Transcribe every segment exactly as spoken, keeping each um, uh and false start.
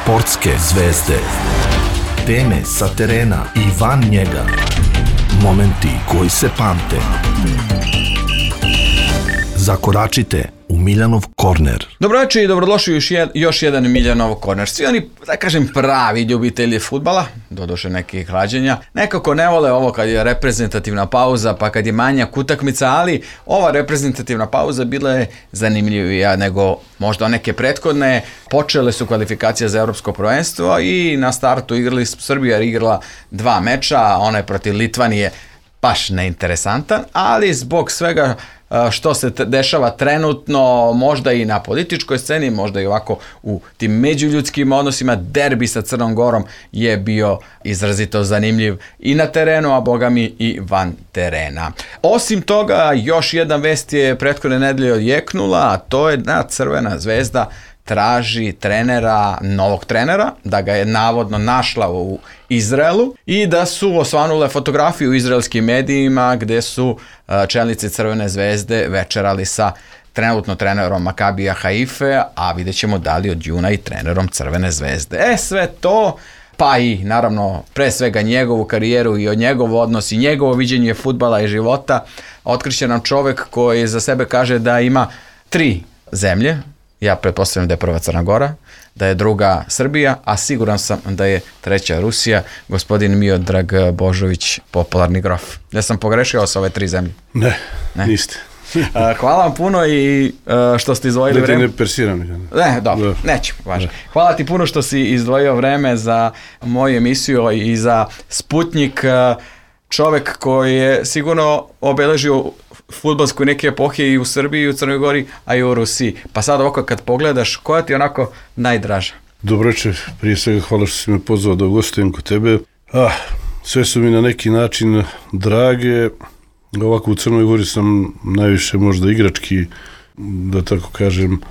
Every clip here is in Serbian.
Sportske zvezde. Teme sa terena i van njega. Momenti koji se pamte. Zakoračite u Miljanov korner. Dobroveče i dobrodošli još, jed, još jedan Miljanov korner. Svi oni, da kažem, pravi ljubitelji fudbala, doduše nekih klađenja, nekako ne vole ovo kad je reprezentativna pauza, pa kad je manjak utakmica, ali ova reprezentativna pauza bila je zanimljivija nego možda neke prethodne. Počele su kvalifikacije za evropsko prvenstvo i na startu igrali, Srbija je igrala dva meča, ona je protiv Litvanije baš neinteresantan, ali zbog svega što se dešava trenutno, možda i na političkoj sceni, možda i ovako u tim međuljudskim odnosima, derbi sa Crnom Gorom je bio izrazito zanimljiv i na terenu, a boga mi i van terena. Osim toga, još jedna vest je prethodne nedelje odjeknula, a to je da Crvena zvezda traži trenera, novog trenera, da ga je navodno našla u Izraelu i da su osvanule fotografije u izraelskim medijima gde su čelnici Crvene zvezde večerali sa trenutno trenerom Makabija Haife, a vidjet ćemo da li od juna i trenerom Crvene zvezde. E, sve to, pa i naravno pre svega njegovu karijeru i od njegov odnos i njegovo viđenje fudbala i života, otkriće nam čovek koji za sebe kaže da ima tri zemlje. Ja pretpostavljam da je prva Crna Gora, da je druga Srbija, a siguran sam da je treća Rusija, gospodin Miodrag Božović, popularni grof. Ja sam pogrešio sa ove tri zemlje? Ne, ne? Niste. Hvala vam puno i što ste izdvojili vreme. Da ti ne persiram. Ne, dobro, neću, važno. Hvala ti puno što si izdvojio vreme za moju emisiju i za Sputnjik, čovek koji je sigurno obeležio fudbalsku neke epohe i u Srbiji, i u Crnoj Gori, a i u Rusiji. Pa sad ovako kad pogledaš, koja ti je onako najdraža? Dobro večer, prije svega hvala što si me pozvao da gostujem kod tebe. Ah, sve su mi na neki način drage. Ovako u Crnoj Gori sam najviše možda igrački, da tako kažem,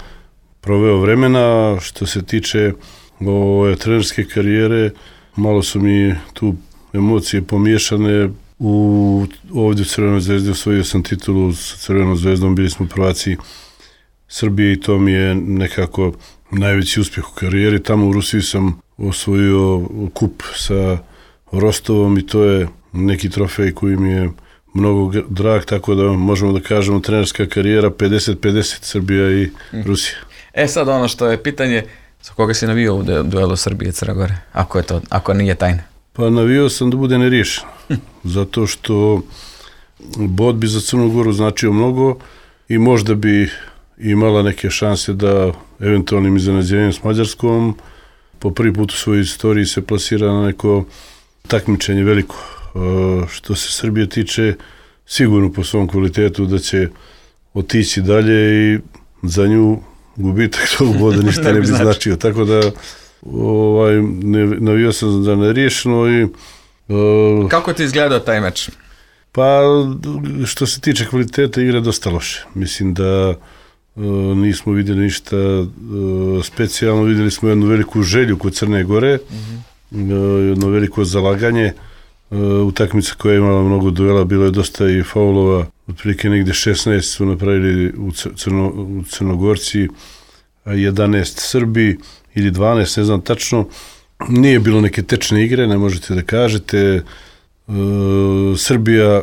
proveo vremena. Što se tiče ove trenerske karijere, malo su mi tu emocije pomiješane. U, ovdje u Crvenoj zvezdi osvojio sam titulu sa Crvenom zvezdom, bili smo prvaci Srbije i to mi je nekako najveći uspjeh u karijeri. Tamo u Rusiji sam osvojio kup sa Rostovom i to je neki trofej koji mi je mnogo drag, tako da možemo da kažemo trenerska karijera pedeset pedeset Srbija i Rusija. E sad ono što je pitanje, za koga si navio u duelu Srbije i Crne Gore, ako je to, ako nije tajna? Pa navio sam da bude neriješen, zato što bod bi za Crnu Goru značio mnogo i možda bi imala neke šanse da eventualnim iznenađenjem s Mađarskom po prvi put u svojoj istoriji se plasira na neko takmičenje veliko. Što se Srbije tiče, sigurno po svom kvalitetu da će otići dalje i za nju gubitak tog boda ništa ne, ne bi značio, tako da ovaj, ne, navio sam da neriješeno i uh, kako ti izgledao taj meč? Pa što se tiče kvaliteta igre dosta loše, mislim da uh, nismo vidjeli ništa uh, specijalno, vidjeli smo jednu veliku želju kod Crne Gore, mm-hmm. uh, jedno veliko zalaganje, uh, utakmica koja je imala mnogo duela, bilo je dosta i faulova, otprilike negdje šesnaest su napravili u, Crno, u Crnogorci, a jedanaest Srbi ili dvanaest, ne znam tačno. Nije bilo neke tečne igre, ne možete da kažete. E, Srbija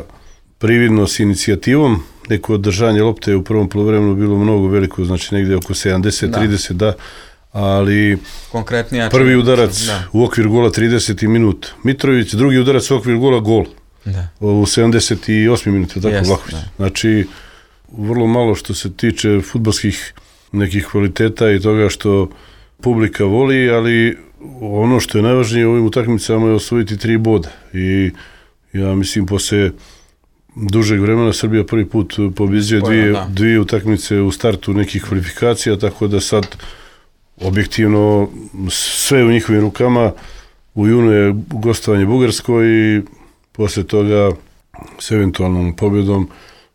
prividno s inicijativom, neko održanje lopte je u prvom poluvremenu bilo mnogo veliko, znači negdje oko sedamdeset trideset, da, ali konkretnija prvi udarac da. U okvir gola trideseti minut Mitrović, drugi udarac u okvir gola gol da. U sedamdeset osmi minut, tako yes, Vlahović. Znači, vrlo malo što se tiče fudbalskih nekih kvaliteta i toga što publika voli, ali ono što je najvažnije u ovim utakmicama je osvojiti tri boda i ja mislim posle dužeg vremena Srbija prvi put pobjeđuje dvije, dvije utakmice u startu nekih kvalifikacija, tako da sad objektivno sve u njihovim rukama. U junu je gostovanje Bugarskoj i posle toga s eventualnom pobjedom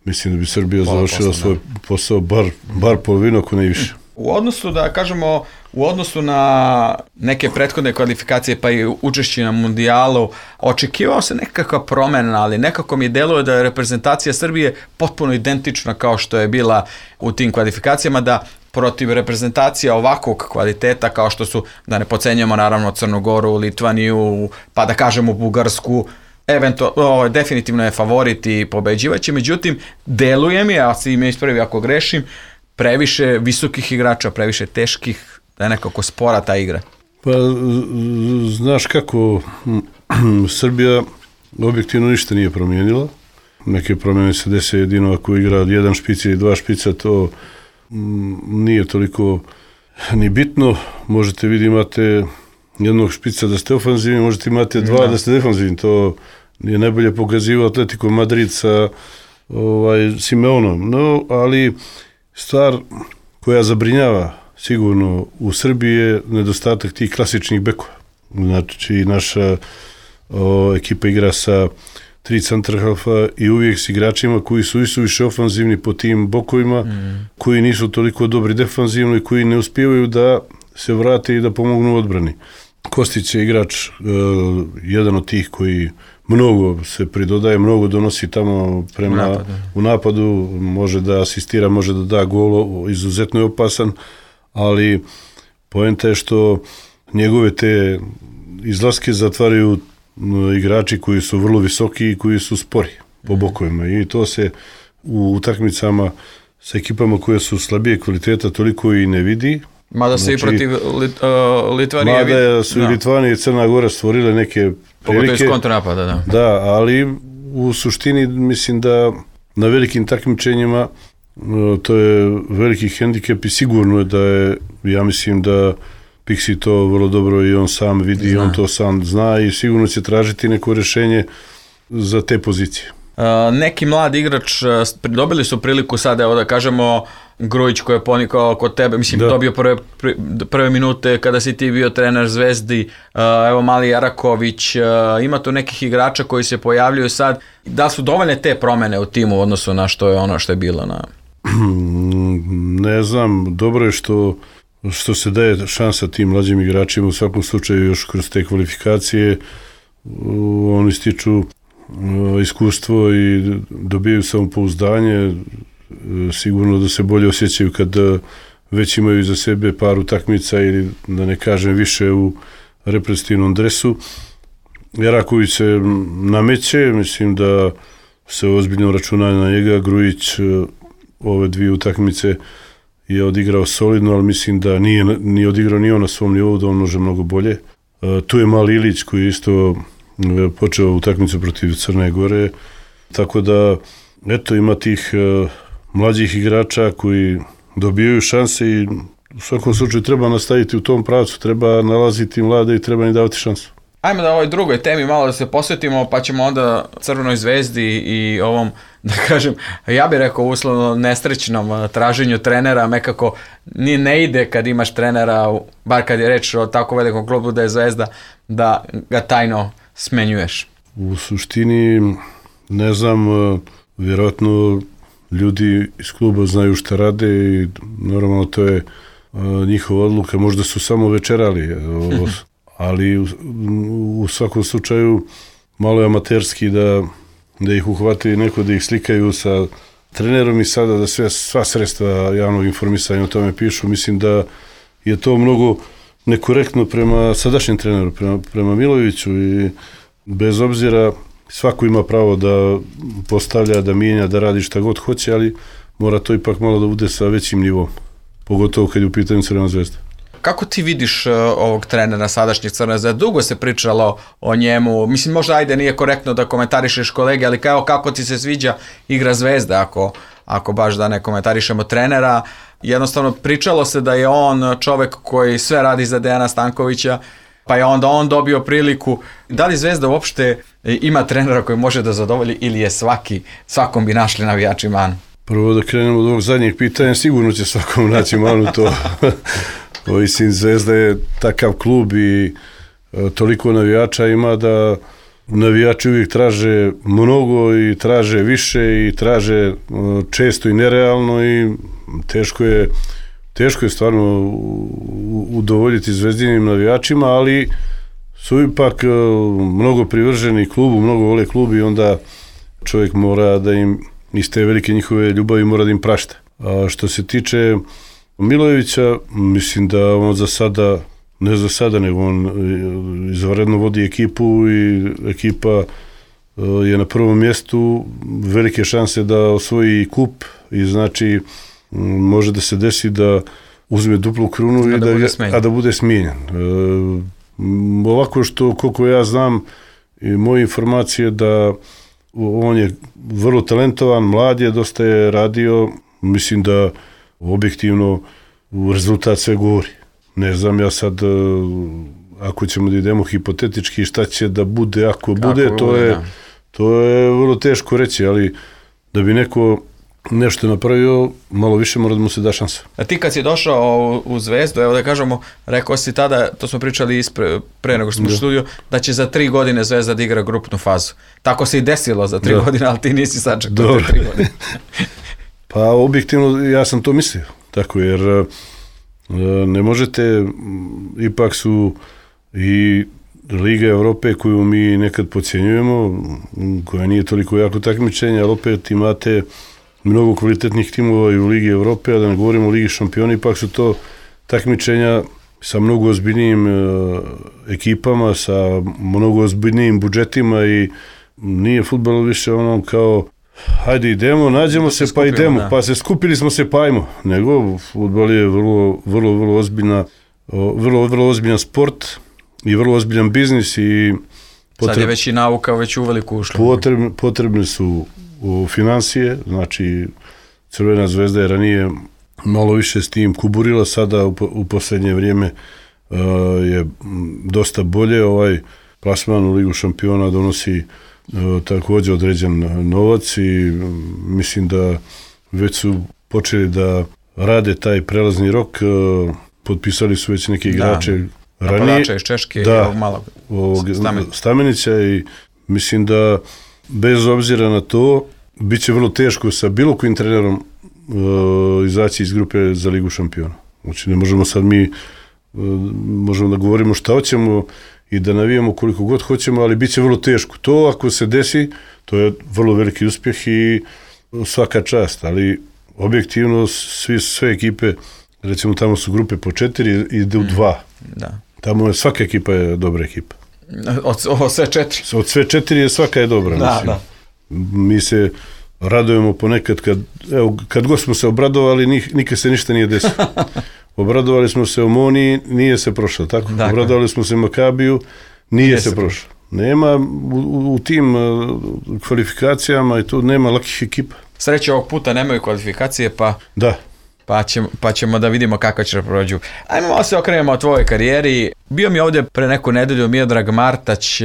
mislim da bi Srbija Pola završila posle, svoj da. posao bar, bar polovinu, ako ne više. U odnosu, da kažemo, u odnosu na neke prethodne kvalifikacije pa i učešće na mundijalu, očekivao se nekakva promjena, ali nekako mi deluje da je reprezentacija Srbije potpuno identična kao što je bila u tim kvalifikacijama, da protiv reprezentacija ovakvog kvaliteta kao što su, da ne pocenjamo naravno Crnu Goru, Litvaniju, pa da kažemo Bugarsku, Evento, o, definitivno je favorit i pobeđivaće, međutim, deluje mi, a si me ispravi ako grešim, previše visokih igrača, previše teških, da je nekako spora ta igra. Pa, znaš kako, Srbija objektivno ništa nije promijenila. Neke promjene se dese jedino ako igra jedan špic ili dva špica, to nije toliko ni bitno. Možete vidjeti, imate jednog špica da ste ofanzivni, možete imate dva da, da ste defanzivni. To je najbolje pokazivao Atletico Madrid sa ovaj, Simeonom. No, ali stvar koja zabrinjava sigurno u Srbiji je nedostatak tih klasičnih bekova. Znači, naša o, ekipa igra sa tri centarhalfa i uvijek s igračima koji su isuviše ofanzivni po tim bokovima, mm. koji nisu toliko dobri defanzivno i koji ne uspijevaju da se vrate i da pomognu u odbrani. Kostić je igrač, uh, jedan od tih koji mnogo se pridodaje, mnogo donosi tamo prema, u napadu. u napadu, može da asistira, može da da gol, izuzetno je opasan, ali poenta je što njegove te izlaske zatvaraju igrači koji su vrlo visoki i koji su spori po bokovima i to se u utakmicama sa ekipama koje su slabije kvaliteta toliko i ne vidi. Mada se znači, i protiv Lit, uh, Litvanije... Mada su i Litvanije i Crna Gora stvorile neke prilike. Pogotovo iz kontranapada, da. Da, ali u suštini mislim da na velikim takmičenjima to je veliki hendikep i sigurno je da je, ja mislim da Pixi to vrlo dobro i on sam vidi zna. I on to sam zna i sigurno će tražiti neko rješenje za te pozicije. Uh, neki mladi igrač, dobili su priliku sad, evo da kažemo, Grujić koji je ponikao kod tebe, mislim, da. dobio prve, prve minute kada si ti bio trener Zvezdi, uh, evo Mali Jaraković, uh, ima tu nekih igrača koji se pojavljuju sad. Da su dovoljne te promjene u timu u odnosu na što je ono što je bilo? Na... Ne znam, dobro je što što se daje šansa tim mlađim igračima, u svakom slučaju još kroz te kvalifikacije oni stiču iskustvo i dobijaju samopouzdanje, sigurno da se bolje osjećaju kad već imaju iza sebe par utakmica ili da ne kažem više u reprezentativnom dresu. Jaraković se nameće, mislim da se ozbiljno računa na njega. Grujić ove dvije utakmice je odigrao solidno, ali mislim da nije, nije odigrao ni on na svom nivou, da on može mnogo bolje. E, tu je Mali Ilić koji je isto počeo utakmicu protiv Crne Gore, tako da eto ima tih e, mlađih igrača koji dobijaju šanse i u svakom slučaju treba nastaviti u tom pravcu, treba nalaziti mlade i treba im davati šansu. Ajmo da ovoj drugoj temi malo da se posvetimo, pa ćemo onda Crvenoj Zvezdi i ovom, da kažem, ja bih rekao uslovno nesrećnom traženju trenera, nekako ni ne ide kad imaš trenera, bar kad je reč o tako velikom klubu da je Zvezda, da ga tajno smenjuješ. U suštini, ne znam, vjerojatno ljudi iz kluba znaju šta rade i normalno to je njihova odluka, možda su samo večerali, ali u, u svakom slučaju malo je amaterski da, da ih uhvati neko, da ih slikaju sa trenerom i sada da sve, sva sredstva javnog informisanja o tome pišu. Mislim da je to mnogo nekorektno prema sadašnjem treneru, prema, prema Miloviću i bez obzira svako ima pravo da postavlja, da mijenja, da radi šta god hoće, ali mora to ipak malo da bude sa većim nivom, pogotovo kad je u pitanju Crvena Zvezda. Kako ti vidiš uh, ovog trenera sadašnjeg Crvene Zvezde? Dugo se pričalo o njemu. Mislim, možda ajde nije korektno da komentarišeš kolege, ali kao kako ti se sviđa igra Zvezde, ako, ako baš da ne komentarišemo trenera. Jednostavno pričalo se da je on čovek koji sve radi za Dejana Stankovića, pa je onda on dobio priliku. Da li Zvezda uopšte ima trenera koji može da zadovolji ili je svaki, svakom bi našli navijači manu? Prvo da krenemo od ovog zadnjeg pitanja, sigurno će svakom naći manu to. Mislim, Zvezda je takav klub i e, toliko navijača ima da navijači uvijek traže mnogo i traže više i traže e, često i nerealno i teško je, teško je stvarno udovoljiti zvezdinim navijačima, ali su ipak e, mnogo privrženi klubu, mnogo vole klub i onda čovjek mora da im iz te velike njihove ljubavi mora da im prašta. A što se tiče Milojevića, mislim da on za sada, ne za sada, nego on izvanredno vodi ekipu i ekipa je na prvom mjestu, velike šanse da osvoji kup i znači može da se desi da uzme duplu krunu a i da, da a da bude smijenjen. E, ovako što, koliko ja znam i moje informacije da on je vrlo talentovan, mlad je, dosta je radio, mislim da objektivno rezultat sve govori. Ne znam ja sad, ako ćemo da idemo hipotetički, šta će da bude, ako bude, Kako to, bude je, da. to je vrlo teško reći, ali da bi neko nešto napravio, malo više mora da mu se da šansa. A ti kad si došao u Zvezdu, evo da kažemo, rekao si tada, to smo pričali ispre, pre nego što smo u studiju, da će za tri godine Zvezda da igra grupnu fazu. Tako se i desilo za tri da. godine, ali ti nisi sačekao te tri godine. Pa objektivno ja sam to mislio, tako jer ne možete, ipak su i Liga Evrope koju mi nekad podcjenjujemo, koja nije toliko jako takmičenja, ali opet imate mnogo kvalitetnih timova i u Ligi Evrope, a da ne govorimo o Ligi šampiona, ipak su to takmičenja sa mnogo ozbiljnijim uh, ekipama, sa mnogo ozbiljnijim budžetima i nije fudbal više ono kao hajde idemo, nađemo se, se pa skupimo, idemo, da. pa se skupili smo se pa ajmo, nego fudbal je vrlo, vrlo, vrlo ozbiljna, vrlo, vrlo ozbiljan sport i vrlo ozbiljan biznis i potreb... sad je već i nauka već uveliko ušla. Potrebne, potrebne su u financije, znači Crvena zvezda je ranije malo više s tim kuburila, sada u, u posljednje vrijeme uh, je dosta bolje, ovaj plasman u Ligu šampiona donosi uh, također određen novac i mislim da već su počeli da rade taj prelazni rok, uh, potpisali su već neki igrače da, ranije. Napadača iz Češke da, i ovog malog Stamenića. Stamenića i mislim da bez obzira na to, bit će vrlo teško sa bilo kojim trenerom uh, izaći iz grupe za Ligu šampiona. Znači ne možemo sad mi, uh, možemo da govorimo šta hoćemo i da navijamo koliko god hoćemo, ali bit će vrlo teško. To ako se desi, to je vrlo veliki uspjeh i svaka čast, ali objektivno svi, sve ekipe, recimo tamo su grupe po četiri, ide u dva. Da. Tamo je svaka ekipa je dobra ekipa. Od, od sve četiri. Od sve četiri je svaka je dobra. Da, mislim. da. Mi se radujemo ponekad kad, evo, kad god smo se obradovali, nikad se ništa nije desilo. Obradovali smo se Omoniji, nije se prošlo, tako? Dakle. Obradovali smo se Makabiju, nije, nije se, se prošlo. Nema u, u tim kvalifikacijama i tu nema lakih ekipa. Sreće ovog puta nemaju kvalifikacije, pa... Da. Pa ćemo, pa ćemo da vidimo kako će prođu. Ajmo malo se okrenemo o tvojoj karijeri. Bio mi ovdje pre neku nedelju Miodrag Martać,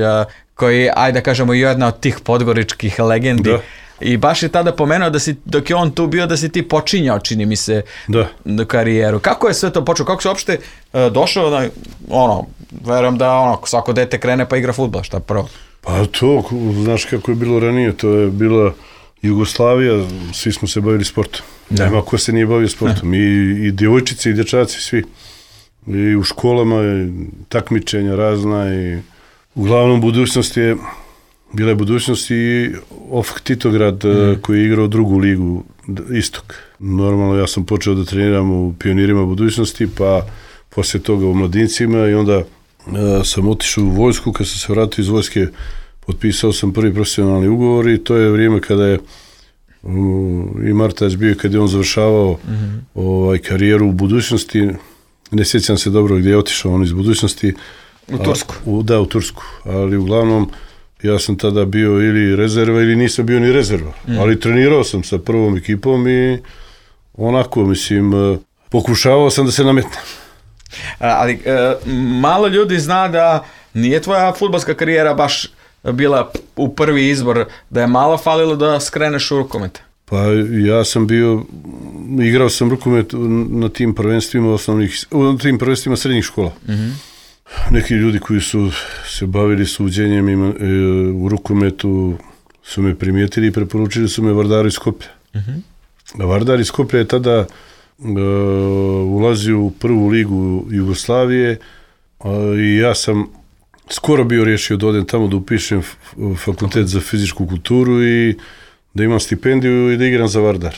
koji, ajde da kažemo, jedna od tih podgoričkih legendi. Da. I baš je tada pomenuo da si, dok je on tu bio, da si ti počinjao, čini mi se, da. karijeru. Kako je sve to počeo? Kako se uopšte uh, došao na, ono, verujem da ono, svako dete krene pa igra fudbal, šta prvo? Pa to, znaš kako je bilo ranije, to je bila Jugoslavija, svi smo se bavili sportom. Da. Nema ko se nije bavio sportom. I, i djevojčice i dječaci, svi. I u školama, i takmičenja razna i uglavnom budućnost je, bila je budućnost i Ofk Titograd mm. koji je igrao drugu ligu, Istok. Normalno ja sam počeo da treniram u Pionirima budućnosti, pa poslije toga u Mladincima i onda uh, sam otišao u vojsku, kad sam se vratio iz vojske, potpisao sam prvi profesionalni ugovor i to je vrijeme kada je i Martać bio, kad je on završavao mm-hmm. ovaj, karijeru u budućnosti, ne sjećam se dobro gdje je otišao on iz budućnosti. U Tursku. A, u, da, u Tursku, ali uglavnom ja sam tada bio ili rezerva ili nisam bio ni rezerva, mm. ali trenirao sam sa prvom ekipom i onako, mislim, pokušavao sam da se nametnem. Ali e, malo ljudi zna da nije tvoja fudbalska karijera baš bila u prvi izbor, da je malo falilo da skreneš u rukomet. Pa ja sam bio, igrao sam rukomet na tim prvenstvima osnovnih, na tim prvenstvima srednjih škola. Mm-hmm. Neki ljudi koji su se bavili suđenjem ima, e, u rukometu su me primijetili i preporučili su me Vardar iz Skoplja. Mm-hmm. Vardar iz Skoplja je tada e, ulazio u prvu ligu Jugoslavije a, i ja sam skoro bio riješio da odem tamo da upišem fakultet za fizičku kulturu i da imam stipendiju i da igram za Vardar.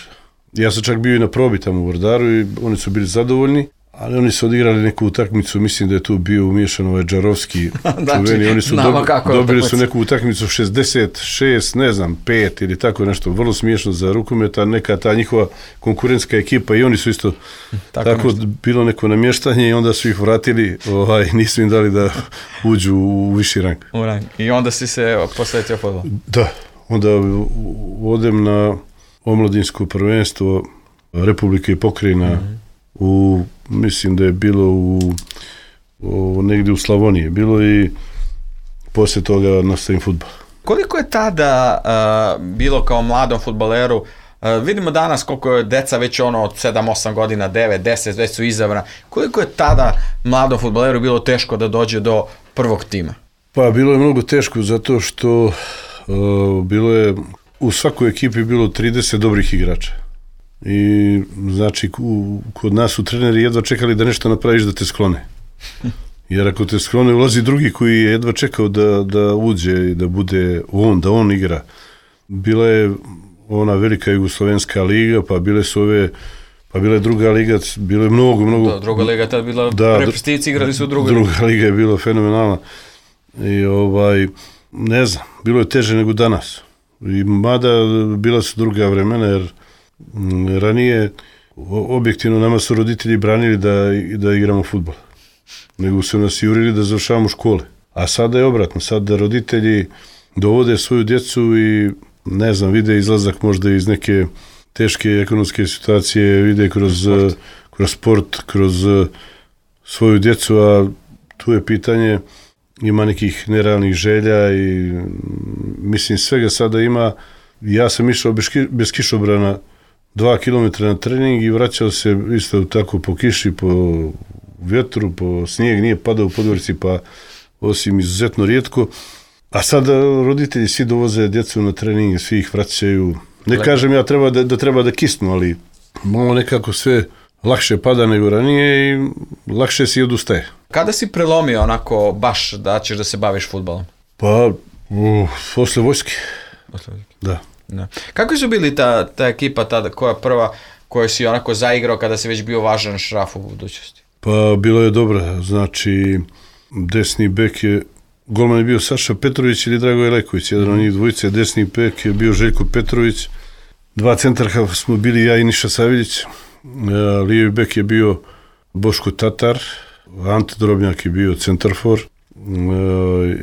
Ja sam čak bio i na probi tamo u Vordaru i oni su bili zadovoljni, ali oni su odigrali neku utakmicu, mislim da je tu bio umiješan ovaj Džarovski čuveni, oni su dobi, dobili su neku utakmicu šezdeset šest, ne znam, pet ili tako nešto, vrlo smiješno za rukometa, neka ta njihova konkurentska ekipa i oni su isto tako, tako bilo neko namještanje i onda su ih vratili, ovaj, nisu im dali da uđu u viši rang. U rang. I onda si se posvetio fudbalu? Da, onda odem na omladinsko prvenstvo Republike i pokrajina mm-hmm. u, mislim da je bilo u, u negdje u Slavoniji, bilo i poslije toga nastavim fudbal. Koliko je tada uh, bilo kao mladom fudbaleru, uh, vidimo danas koliko je deca već ono od sedam osam godina, devet deset, već su izabrana, koliko je tada mladom fudbaleru bilo teško da dođe do prvog tima? Pa bilo je mnogo teško zato što uh, bilo je u svakoj ekipi bilo trideset dobrih igrača. I znači u, kod nas su treneri jedva čekali da nešto napraviš da te sklone. Jer ako te sklone ulazi drugi koji je jedva čekao da, da uđe i da bude on, da on igra. Bila je ona velika Jugoslovenska liga, pa bile su ove, pa bila je druga liga, bilo je mnogo, mnogo... Da, druga liga tad bila, da, reprezentativci igrali su u drugoj Druga liga. liga je bila fenomenalna. I ovaj, ne znam, bilo je teže nego danas. I mada bila su druga vremena, jer ranije objektivno nama su roditelji branili da, da igramo fudbal. Nego su nas jurili da završavamo škole. A sada je obratno, sada roditelji dovode svoju djecu i ne znam, vide izlazak možda iz neke teške ekonomske situacije, vide kroz sport, kroz, sport, kroz svoju djecu, a tu je pitanje, ima nekih nerealnih želja i mislim svega sada ima. Ja sam išao bez, bez kišobrana dva kilometra na trening i vraćao se isto tako po kiši, po vjetru, po snijeg, nije padao u Podgorici, pa osim izuzetno rijetko. A sada roditelji svi dovoze djecu na trening, svi ih vraćaju. Ne Lepo. Kažem ja treba da, da treba da kisnu, ali malo nekako sve lakše pada nego ranije i lakše si odustaje. Kada si prelomio onako baš da ćeš da se baviš fudbalom? Pa, uh, posle vojske. Posle vojske. Da. Da. Kako su bili ta, ta ekipa tada, koja prva koju si onako zaigrao kada si već bio važan šraf u budućnosti? Pa bilo je dobro, znači desni bek je, golman je bio Saša Petrović ili Dragoje Leković, jedan od njih dvojice, desni bek je bio Željko Petrović, dva centarha smo bili ja i Niša Saviljić, lijevi bek je bio Boško Tatar, Ante Drobnjak je bio centarfor,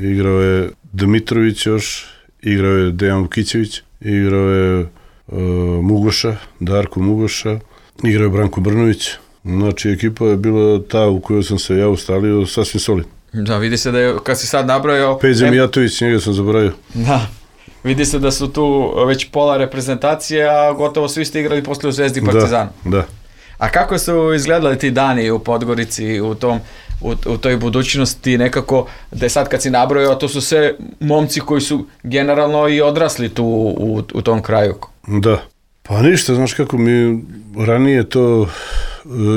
igrao je Dmitrović još, igrao je Dejan Vukićević, igrao je uh, Mugoša, Darko Mugoša, igrao je Branko Brnović. Znači, ekipa je bila ta u kojoj sam se ja ustalio sasvim solidno. Da, vidi se da je, kad si sad nabrojao... Peđa Mijatović, njega sam zaboravio. Da, vidi se da su tu već pola reprezentacije, a gotovo svi ste igrali posle u Zvezdi i Partizanu. Da, da. A kako su izgledali ti dani u Podgorici, u tom... U, u toj budućnosti nekako, da je sad kad si nabrojao, to su sve momci koji su generalno i odrasli tu u, u tom kraju. Da. Pa ništa, znaš kako mi ranije to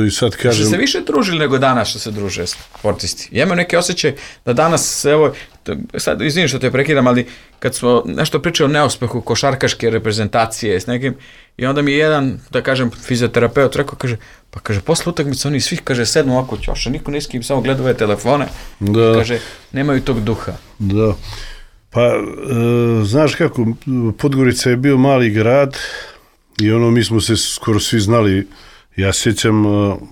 i sad kažem... Što se više družili nego danas što se druže sportisti. Ja imam neki osjećaj da danas, evo, sad izvinim što te prekidam, ali kad smo nešto pričali o neuspehu košarkaške reprezentacije s nekim, i onda mi je jedan, da kažem, fizioterapeut rekao, kaže, pa kaže, posle utakmice oni svi, kaže, sednu ovako ćoša, niko ne skim, samo gledaju telefone, da. Kaže, nemaju tog duha. Da. Pa, e, znaš kako, Podgorica je bio mali grad i ono, mi smo se skoro svi znali. Ja sjećam,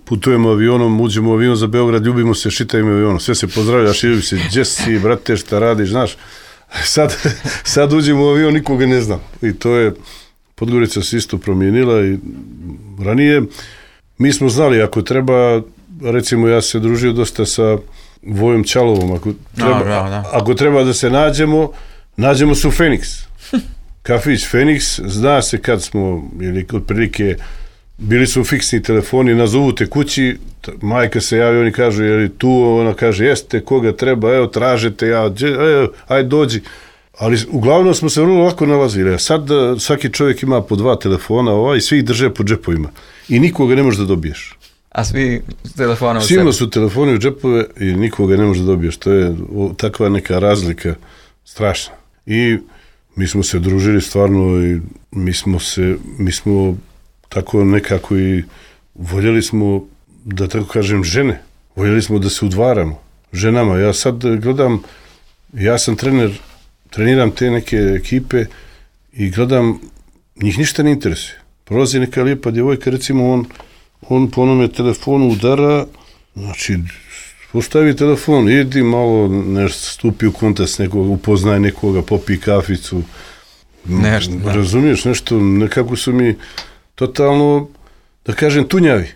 putujemo avionom, uđemo u avion za Beograd, ljubimo se, šitajmo avionom, sve se pozdravljaš, ljubi se, gdje si, brate, šta radiš, znaš. Sad, sad uđemo u avion, nikoga ne znam. I to je, Podgorica se isto promijenila i ranije mi smo znali, ako treba, recimo ja se družio dosta sa Vojom Čalovom, ako treba, no, no, no. ako treba da se nađemo, nađemo se u Feniks. Kafić Feniks, zna se kad smo, ili otprilike, bili su fiksni telefoni, nazovu te kući, majka se javi, oni kažu, je li tu, ona kaže, jeste, koga treba, evo, tražete, ja, evo, ajde dođi. Ali uglavnom smo se vrlo lako nalazili. Sad svaki čovjek ima po dva telefona ovaj, i svi ih drže po džepovima. I nikoga ne možeš da dobiješ. A svi telefone u sebi? Svima su telefoni u džepove i nikoga ne možeš da dobiješ. To je takva neka razlika strašna. I mi smo se družili stvarno i mi smo se, mi smo tako nekako i voljeli smo, da tako kažem, žene. Voljeli smo da se udvaramo ženama. Ja sad gledam, ja sam trener, treniram te neke ekipe i gledam, njih ništa ne interesuje. Prolazi neka lijepa djevojka, recimo on, on po onome telefonu udara, znači postavi telefon, idi malo, nešto stupi u kontakt s nekoga, upoznaj nekoga, popi kaficu. Nešto, da. Razumiješ, nešto, nekako su mi totalno, da kažem, tunjavi.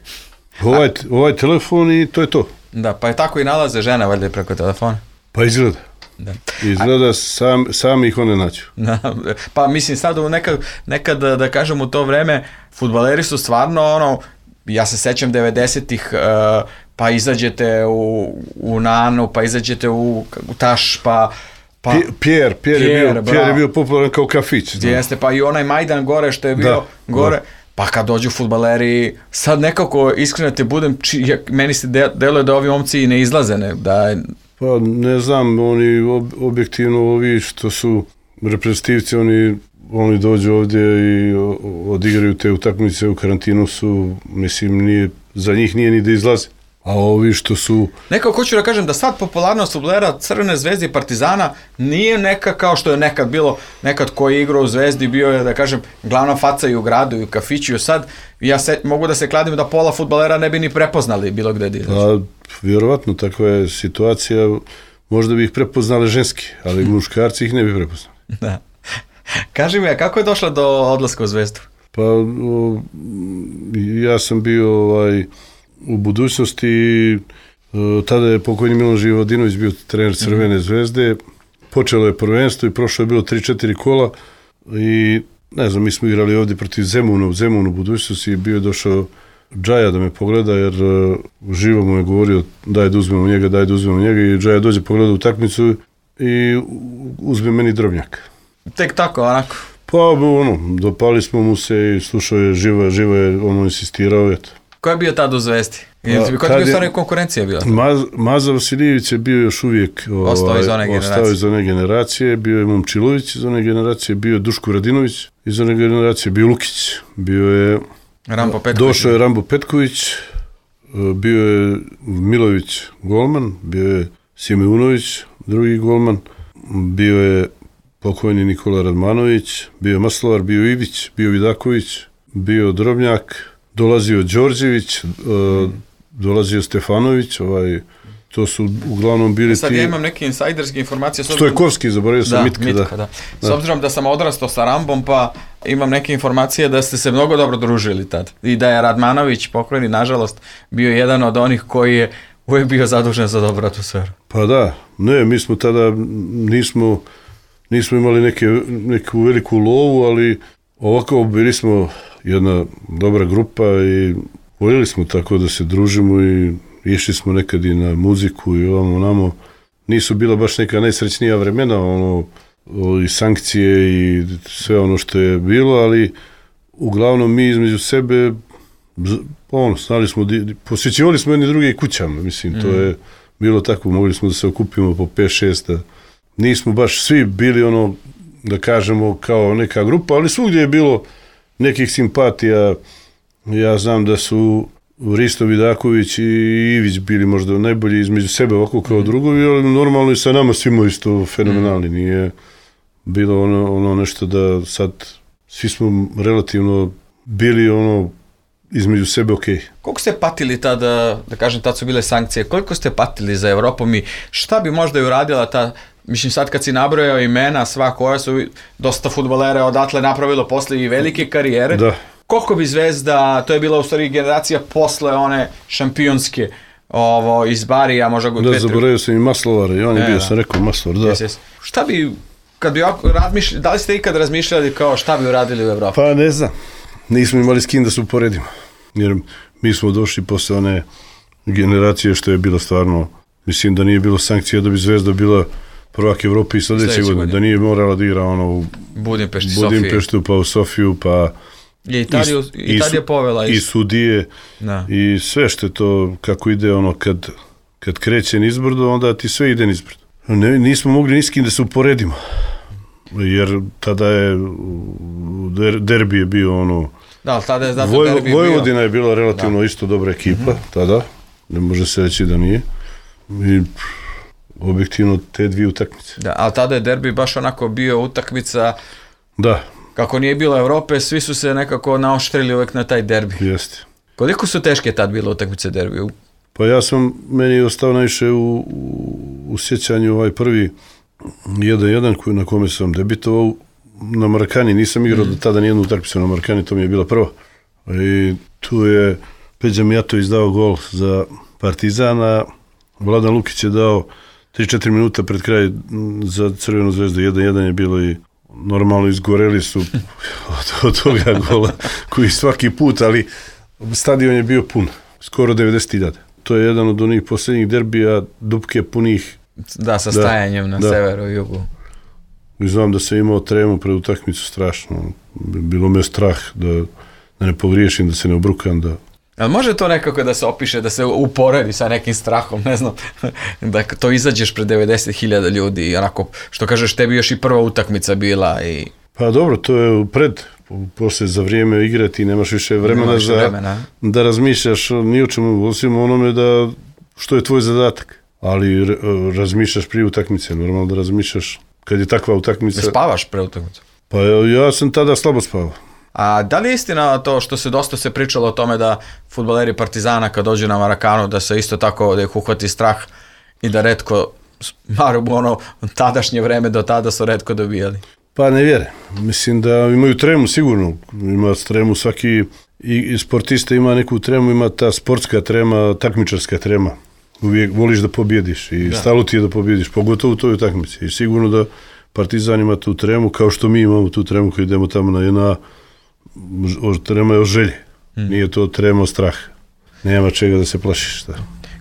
Ovaj, A... ovaj telefon i to je to. Da, pa je tako i nalaze žene valjda preko telefona. Pa izgleda. Da. Izgleda A... sam, sami ih one nađu. Da, pa mislim sad nekad, nekad da kažem u to vreme, fudbaleri su stvarno ono, ja se sećam devedesetih, uh, pa izađete u, u Nanu, pa izađete u, u Taš, pa... Pa, Pierre, Pierre, Pierre, je bio, Pierre je bio popularan kao kafić. Jeste, pa i onaj Majdan gore što je bio da, gore. Da. Pa kad dođu fudbaleri, sad nekako iskreno te budem, či, ja, meni se de, deluje da ovi omci ne izlaze. Ne, da... Pa ne znam, oni ob, objektivno ovi što su reprezentativci, oni, oni dođu ovdje i odigraju te utakmice u karantinu su, mislim, nije, za njih nije ni da izlaze. A ovi što su... Nekako hoću da kažem da sad popularnost fudbalera Crvene zvezde i Partizana nije neka kao što je nekad bilo, nekad ko je igrao u Zvezdi bio je, da kažem, glavna faca i u gradu i u kafiću. Sad ja se, mogu da se kladim da pola fudbalera ne bi ni prepoznali bilo gde di. Pa, vjerovatno, takva je situacija, možda bi ih prepoznali ženski, ali muškarci ih ne bi prepoznali. Da. Kaži mi, a kako je došla do odlaska u Zvezdu? Pa, o, ja sam bio ovaj... u budućnosti, tada je pokojni Miloš Živodinović bio trener Crvene zvezde, počelo je prvenstvo i prošlo je bilo tri četiri kola i ne znam, mi smo igrali ovdje protiv Zemuna, u Zemunu u budućnosti i bio je došao Džaja da me pogleda jer Živo mu je govorio daj da uzmemo njega, daj da uzmemo njega i Džaja dođe pogleda utakmicu i uzme meni Drobnjak. Tek tako, onako? Pa ono, dopali smo mu se i slušao je Živo, Živo je ono insistirao, eto. Ko je bio tad u Zvezdi? Koja je bio stvarno konkurencija bila? Maz, Maza Vasiljević je bio još uvijek ovaj, ostao iz one generacije. Iz one generacije, bio je Momčilović iz one generacije, bio je Duško Radinović iz one generacije, bio Lukić, bio je Rambo Petković. Došao je Rambo Petković, bio je Milović golman, bio je Simeunović drugi golman, bio je pokojni Nikola Radmanović, bio je Maslovar, bio je Ivić, bio je Vidaković, bio je Drobnjak, dolazio Đorđević, uh, dolazio Stefanović, ovaj, to su uglavnom bili sad ti... Sad ja imam neke insajderske informacije. Stojkovski, zaboravio sam, da, Mitka. Mitka, da. Da. S obzirom da sam odrastao sa Rambom, pa imam neke informacije da ste se mnogo dobro družili tad. I da je Radmanović, pokojni, nažalost, bio jedan od onih koji je uvijek bio zadužen za dobru atmosferu. Pa da, ne, mi smo tada, nismo, nismo imali neke, neku veliku lovu, ali ovako bili smo jedna dobra grupa i voljeli smo tako da se družimo i išli smo nekad i na muziku i ovamo namo. Nisu bila baš neka najsrećnija vremena, ono, i sankcije i sve ono što je bilo, ali uglavnom mi između sebe, ono, znali smo, posjećivali smo jedni druge kućama, mislim, mm. to je bilo tako, mogli smo da se okupimo po pet šest. Nismo baš svi bili ono, da kažemo, kao neka grupa, ali svugdje je bilo nekih simpatija. Ja znam da su Risto Vidaković i Ivić bili možda najbolji između sebe ovako kao drugovi, ali normalno i sa nama svima isto fenomenalni. Nije bilo ono, ono nešto da sad svi smo relativno bili ono između sebe okej. Okay. Koliko ste patili tada, da kažem, tad su bile sankcije, koliko ste patili za Evropom i šta bi možda i uradila ta, mislim sad kad si nabrojao imena sva koja su dosta fudbalera odatle napravilo posle i velike karijere, da. Koliko bi Zvezda, to je bila u stvari generacija posle one šampionske ovo, iz Barija, možda... Da, zaboravio sam i Maslovara i on je e, bio, da. sam rekao Maslovar, da. Yes, yes. Šta bi, kad bi razmišljali, da li ste ikad razmišljali kao šta bi uradili u Evropi? Pa ne znam, nismo imali s kim da se uporedimo, jer mi smo došli posle one generacije što je bilo stvarno, mislim da nije bilo sankcija da bi Zvezda bila prvak Evrope i sljedeće godine, da nije morala da igra ono u Budimpešti, Budimpeštu, pa u Sofiju, pa je Italiju, i, Italija povela i, i sudije da. I sve što je to kako ide ono kad, kad kreće nizbrdo, onda ti sve ide nizbrdo. Ne, nismo mogli ni s kim da se uporedimo, jer tada je der, derbi je bio ono Da, ali tada je zato Voj, derbi Vojvodina bio. je bila relativno da. isto dobra ekipa, mm-hmm. tada, ne može se reći da nije. I objektivno te dvije utakmice. Da, ali tada je derbi baš onako bio utakmica, da. Kako nije bilo Evrope, svi su se nekako naoštrili uvek na taj derbi. Jeste. Koliko su teške tad bile utakmice derbiju? Pa ja sam, meni je ostao najviše u, u, u sjećanju ovaj prvi jedan jedan koji, na kome sam debitovao na Marakani, nisam igrao mm. do tada nijednu utakmicu na Marakani, to mi je bila prva. I tu je Peđa Mijatović dao gol za Partizana, Vladan Lukić je dao tri četiri minuta pred kraj za Crvenu zvezdu, jedan jedan je bilo i normalno izgoreli su od, od toga gola koji svaki put, ali stadion je bio pun, skoro devedeset hiljada. To je jedan od onih posljednjih derbija, dupke punih. Da, sa stajanjem da, na da. severu i jugu. I znam da sam imao tremu pred utakmicu strašno. Bilo me strah da, da ne pogriješim, da se ne obrukam. Da... Ali može to nekako da se opiše, da se uporedi sa nekim strahom, ne znam, da to izađeš pred devedeset hiljada ljudi i onako, što kažeš, tebi još i prva utakmica bila i... Pa dobro, to je pred, posle za vrijeme igrati, nemaš više vremena, više za, vremena. da razmišljaš ni o čemu, osim onome da, što je tvoj zadatak. Ali re, razmišljaš prije utakmice, normalno da razmišljaš kad je takva utakmica. Ne spavaš pre utakmice? Pa ja, ja sam tada slabo spavao. A da li je istina to što se dosta se pričalo o tome da fudbaleri Partizana kad dođu na Marakanu da se isto tako da ih uhvati strah i da retko, maru ono tadašnje vreme do tada su retko dobijali? Pa ne vjere. Mislim da imaju tremu sigurno. Ima tremu svaki i, i sportista ima neku tremu, ima ta sportska trema, takmičarska trema. Uvijek voliš da pobjediš i da. Stalo ti je da pobjediš, pogotovo u toj utakmici. I sigurno da Partizan ima tu tremu, kao što mi imamo tu tremu kad idemo tamo na jedna trema je o želje. Hmm. Nije to trema o strah. Nema čega da se plašiš. Da.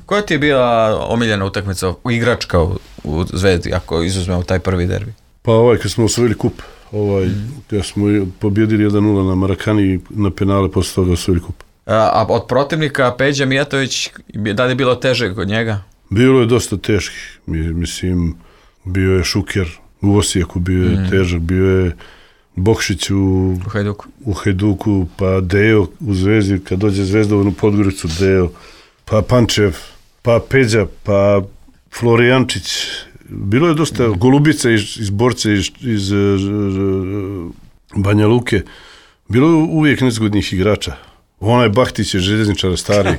Koja ti je bila omiljena utakmica, igračka u, u Zvezdi, ako izuzmemo taj prvi derbi? Pa ovaj kad smo osvojili kup, ovaj, hmm. kad smo pobjedili jedan nula na Marakani i na penale posle toga osvojili kup. A, a od protivnika Peđa Mijatović, da li je bilo teže kod njega? Bilo je dosta teških. Mislim, bio je Šuker u Osijeku, bio je hmm. težak, bio je Bokšić u, u, Hajduku. u Hajduku, pa Deo u Zvezdi, kad dođe Zvezda u Podgoricu, Deo, pa Pančev, pa Peđa, pa Florijančić. Bilo je dosta mm. Golubica iz, iz Borce, iz, iz uh, Banja Luke. Bilo je uvijek nezgodnih igrača. Onaj Bahtić je željezničar stari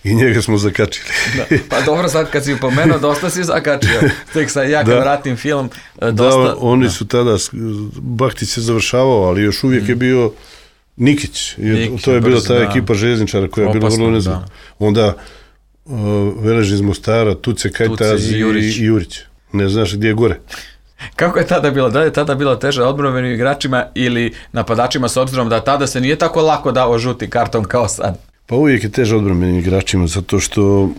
i njega smo zakačili. Da, pa dobro, sad kad si upomenuo, dosta si zakačio. Tek sad ja kad da, vratim film, dosta... Da, oni da. su tada, Bahtić se završavao, ali još uvijek mm. je bio Nikić. Nikić to je bila ta da. ekipa željezničara koja je bila vrlo nezgodna. Onda uh, Velež iz Mostara, Tuce, Kajtaz i, Jurić. i Jurić. Ne znaš gdje je gore. Kako je tada bilo? Da li je tada bilo teže odbrambenim igračima ili napadačima s obzirom da tada se nije tako lako dao žuti karton kao sad? Pa uvijek je teže odbrambenim igračima zato što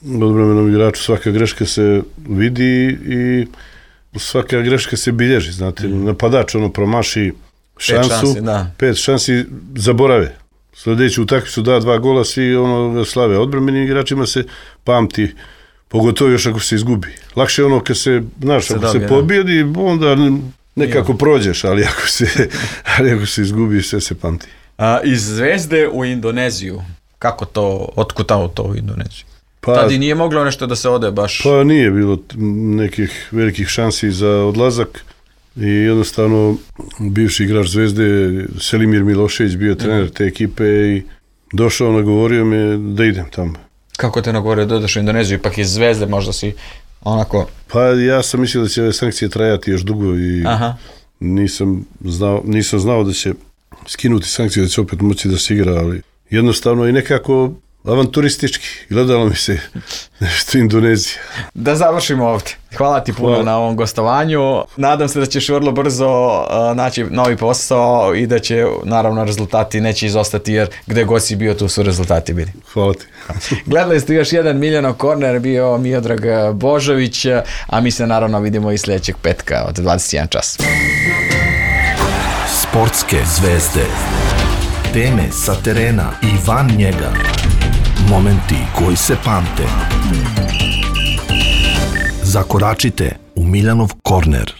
odbrambenom igraču svaka greška se vidi i svaka greška se bilježi. Znate, mm. napadač ono promaši šansu, pet šansi, da. pet šansi zaborave. Sljedeću utakmicu da dva gola, svi ono slave. Odbrambenim igračima se pamti, pogotovo još ako se izgubi. Lakše je ono kad se, znaš, se ako dobije, se pobjedi, onda nekako prođeš, ali ako se, ali ako se izgubi, sve se pamti. A, iz Zvezde u Indoneziju, kako to, otkutao to u Indoneziju? Pa, tad i nije moglo nešto da se ode baš? Pa nije bilo nekih velikih šansi za odlazak i jednostavno bivši igrač Zvezde, Selimir Milošević, bio trener te ekipe i došao, nagovorio me da idem tamo. Kako te nagovorio da odeš u Indoneziju, ipak iz Zvezde možda si onako... Pa ja sam mislio da će ove sankcije trajati još dugo i Aha. nisam znao, nisam znao da će skinuti sankcije, da će opet moći da se igra, ali jednostavno i nekako avanturistički. Gledalo mi se nešto Indonezija. Da završimo ovdje. Hvala ti puno Hvala. na ovom gostovanju. Nadam se da ćeš vrlo brzo uh, naći novi posao i da će naravno rezultati neće izostati jer gde god si bio tu su rezultati bili. Hvala ti. Gledali ste još jedan Miljanov korner, bio Miodrag Božović, a mi se naravno vidimo i sljedećeg petka od dvadeset jedan čas. Sportske zvezde. Teme sa terena i van njega. Momenti koji se pamte. Zakoračite u Miljanov korner.